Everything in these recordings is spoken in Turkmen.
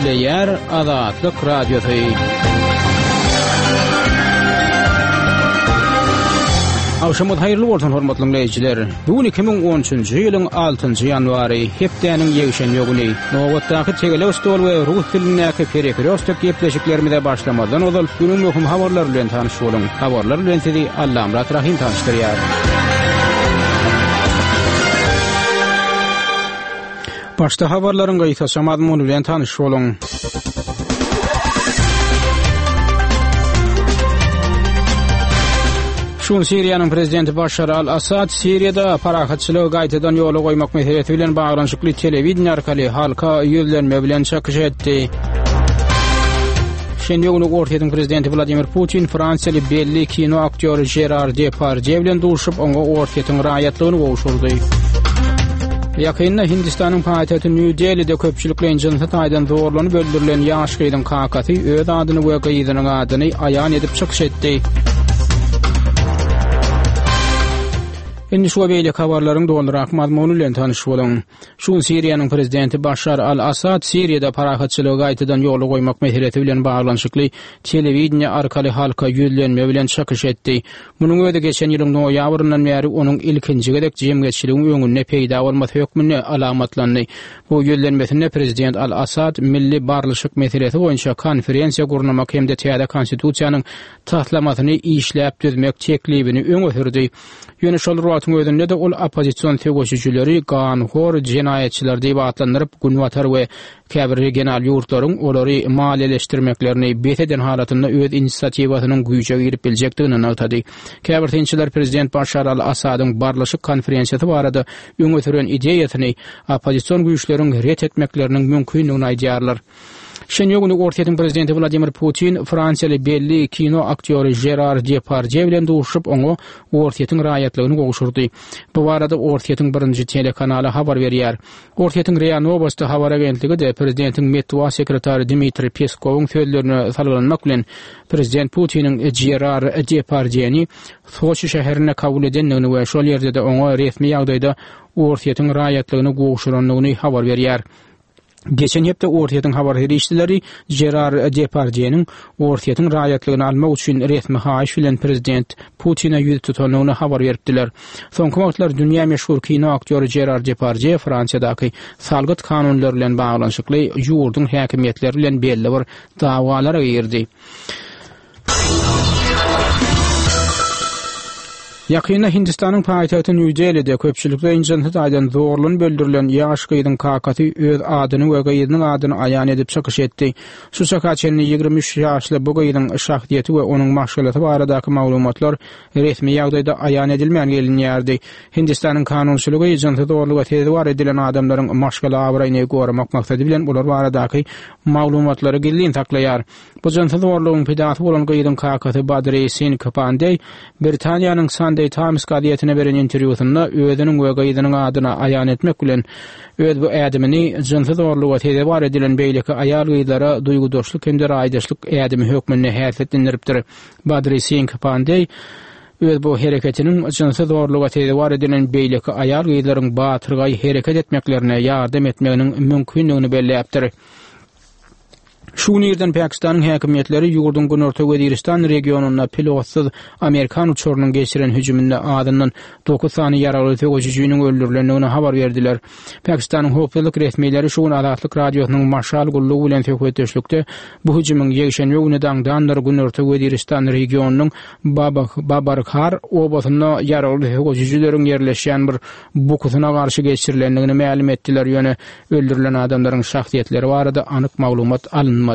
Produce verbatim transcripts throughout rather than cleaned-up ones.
Gepleýär Azatlyk Radiosy. Agşamyňyz haýyrly bolsun, hormatly diňleýjiler. Bu gün iki müň on üçünji ýylyň altynjy ýanwary, hepdäniň ýekşenbe güni. Nobatdaky tegelek stol we rus dilindäki perekrýostok gepleşiklerimize başlamazdan ozal günüň möhüm habarlary bilen tanyş boluň. Habarlar bilen sizi Allamyrat Rahym tanyşdyrýar. Başda habarlaryň gysgaça mazmuny bilen tanyş boluň. Şu gün Siriýanyň prezidenti Başar al-Assad Siriýada parahatçylygy gaýtadan ýola goýmak meselesi bilen baglanyşykly telewideniýe arkaly halka ýüzlenme bilen çykyş etdi. Şenbe güni Orsýetiň prezidenti Wladimir Putin fransiýaly belli kino aktýory Žerar Depardýe bilen duşup, oňa Orsýetiň raýatlygyny gowşurdy. Ýakynda Hindistanyň paýtagty Nýu-Delide köpçülikleýin jynsy taýdan zorlanyp öldürilen ýaş gyzyň kakasy öz adyny we gyzynyň adyny aýan edip çykyş etdi. Indi şu we beýleki habarlaryň dolurak mazmuny bilen tanyş boluň. Şu gün Siriýanyň prezidenti Başar al-Assad Siriýada parahatçylygy gaýtadan ýola goýmak meselesi bilen baglanyşykly telewideniýe arkaly halka ýüzlenme bilen çykyş etdi. Munuň özi geçen ýylyň noýabryndan bäri onuň ilkinji gezek jemgyýetçiligiň öňünde peýda bolmasy hökmünde alamatlandy. Bu ýüzlenmesinde prezident al-Assad milli barlyşyk meselesi boýunça konferensiýa gurnamak hem-de täze konstitusiýanyň taslamasyny işläp düzmek teklibini öňe sürdi. Ýöne şol bir wagtyň özünde-de ol oppozision söweşijileri ganhor jenaýatçylar diýip atlandyryp, Günbatar we käbir regional ýurtlaryň olary maliýeleşdirmeklerini bes eden halatynda öz inisiatiwasynyň güýje girip biljekdigini nygtady. Käbir synçylar prezident Başar al-Assadyň barlyşyk konferensiýasy barada öňe süren ideýasyny oppozision güýçleriň ret etmekleriniň mümkindigini aýdýarlar. Şenbe güni Orsýetiň prezidenti Wladimir Putin fransiýaly belli kino aktýory Žerar Depardýe bilen duşuşyp, oňa Orsýetiň raýatlygyny gowşurdy. Bu barada Orsýetiň birinji telekanaly habar berýär. Orsýetiň RIA Nowosti habar agentligi-de prezidentiň metbugat sekretary Dmitriý Peskowyň sözlerine salgylanmak bilen, prezident Putiniň Žerar Depardýeni Soçi şäherinde kabul edendigini we şol ýerde-de oňa resmi ýagdaýda Orsýetiň raýatlygyny gowşurandygyny habar berýär. Geçen hepde Orsýetiň habar serişdeleri Žerar Depardýeniň Orsýetiň raýatlygyny almak üçin resmi haýyş bilen prezident Putine ýüz tutandygyny habar beripdiler. Soňky wagtlar dünýä meşhur kino aktýory Žerar Depardýe Fransiýadaky salgyt kanunlary bilen baglanyşykly ýurduň häkimiýetleri bilen belli bir dawalara girdi. Ýakynda Hindistanyň paýtagty Nýu-Delide köpçülikleýin jynsy taýdan zorlanyp öldürilen ýaş gyzyň kakasy öz adyny we gyzynyň adyny aýan edip çykyş etdi. Şu çaka çenli ýigrimi üç ýaşly bu gyzyň şahsyýeti we onuň maşgalasy baradaky maglumatlar resmi ýagdaýda aýan edilmän gelinýärdi. Hindistanyň kanunçylygy jynsy zorluga sezewar edilen adamlaryň maşgala abraýyny goramak maksady bilen olar baradaky maglumatlary gizlin saklaýar. Bu jynsy zorlugyň pidasy bolan gyzyň kakasy Badri Singh Pandey Britaniýanyň Sunday Times gazetine beren interwýusynda özüniň we gyzynyň adyny aýan etmek bilen, öz bu ädimini jynsy zorluga sezewar edilen beýleki aýal-gyzlara duýgudaşlyk hem-de raýdaşlyk ädimi hökmünde häsiýetlendiripdir. Badri Singh Pandey öz bu hereketiniň jynsy zorluga sezewar edilen beýleki aýal-gyzlaryň batyrgaý hereket etmeklerine ýardam etmeginiň mümkindigini belläpdir. Şu gün irden Pakistanyň häkimiýetleri ýurduň Günorta Weziristan regionynda pilotsyz amerikan uçarynyň geçiren hüjüminde azyndan dokuz sany ýaragly söweşijiniň öldürilendigini habar berdiler. Pakistanyň howpsuzlyk resmileri şu gün Azatlyk Radiosynyň Maşal gullugy bilen söhbetdeşlikde bu hüjümiň ýekşenbe güni daňdandyr Günorta Weziristan regionynyň Babarkhar obasynda ýaragly söweşijileriň ýerleşýän bir bukusyna garşy geçirilendigini mälim etdiler, ýöne öldürilen adamlaryň şahsyýetleri barada anyk maglumat alynmady.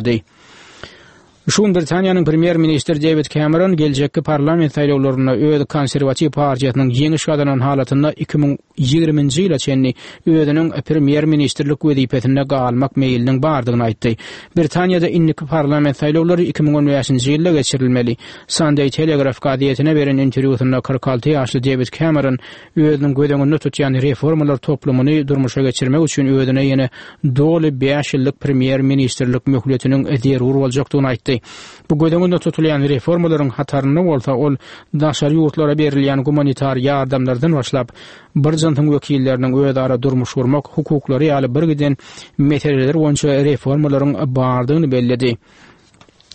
Şu gün Britaniýanyň premýer-ministri Dewid Kemeron geljekki parlament saýlawlarynda öz konserwatiw partiýasynyň ýeňiş gazanan halatynda iki müň ýigriminji ýyla çenli özüniň premýer-ministrlik wezipesinde galmak meýliniň bardygyny aýtdy. Britaniýada indiki parlament saýlawlary iki müň on bäşinji ýylda geçirilmeli. Sunday Telegraph gazetine beren interwýusynda kyrk alty ýaşly Dewid Kemeron özüniň göz öňünde tutýan reformalar toplumyny durmuşa geçirmek üçin özüne ýene doly bäş ýyllyk premýer-ministrlik möhletiniň zerur boljakdygyny aýtdy. aýtdy. Bu göz öňünde tutulýan reformalaryň hatarynda bolsa ol daşary ýurtlara berilýän gumanitar ýardamlardan başlap, bir jynsyň wekilleriniň özara durmuş gurmak hukuklary ýaly birgiden meseleler boýunça reformalaryň bardygyny belledi.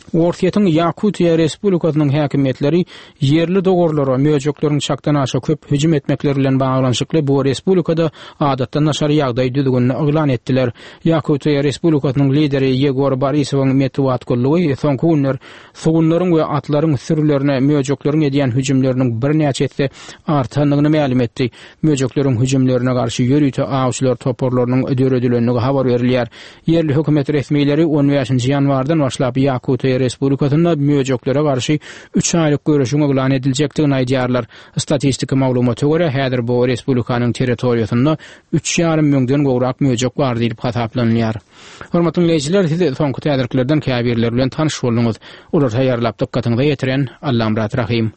Orsýetiň Ýakutiýa Respublikasynyň häkimiýetleri ýerli dowarlara möjekleriň çakdan aşa köp hüjüm etmekleri bilen baglanyşykly bu respublikada adatdan daşary ýagdaý düzgünini yglan etdiler. Ýakutiýa Respublikasynyň lideri Ýegor Borisowyň metbugat gullugy soňky günler sugunlaryň we atlaryň sürülerine möjekleriň edýän hüjümleriniň birnäçe esse artandygyny mälim etdi. Möjekleriň hüjümlerine garşy ýörite awçylar toparlarynyň döredilendigi habar berilýär. Ýerli hökümet resmileri on bäşinji ýanwardan başlap Ýakutiýa Respublikasynda möjeklere garşy üç aýlyk göreşiň yglan ediljekdigini aýdýarlar. Statistiki maglumata görä, häzir bu respublikanyň territoriýasynda üç ýarym müňden gowrak möjek bar diýlip hasaplanylýar. Hormatly diňleýjiler, siz soňky täzeliklerden käbirleri bilen tanyş bolduňyz. Olary taýýarlap dykgatyňyza ýetiren Allamyrat Rahym.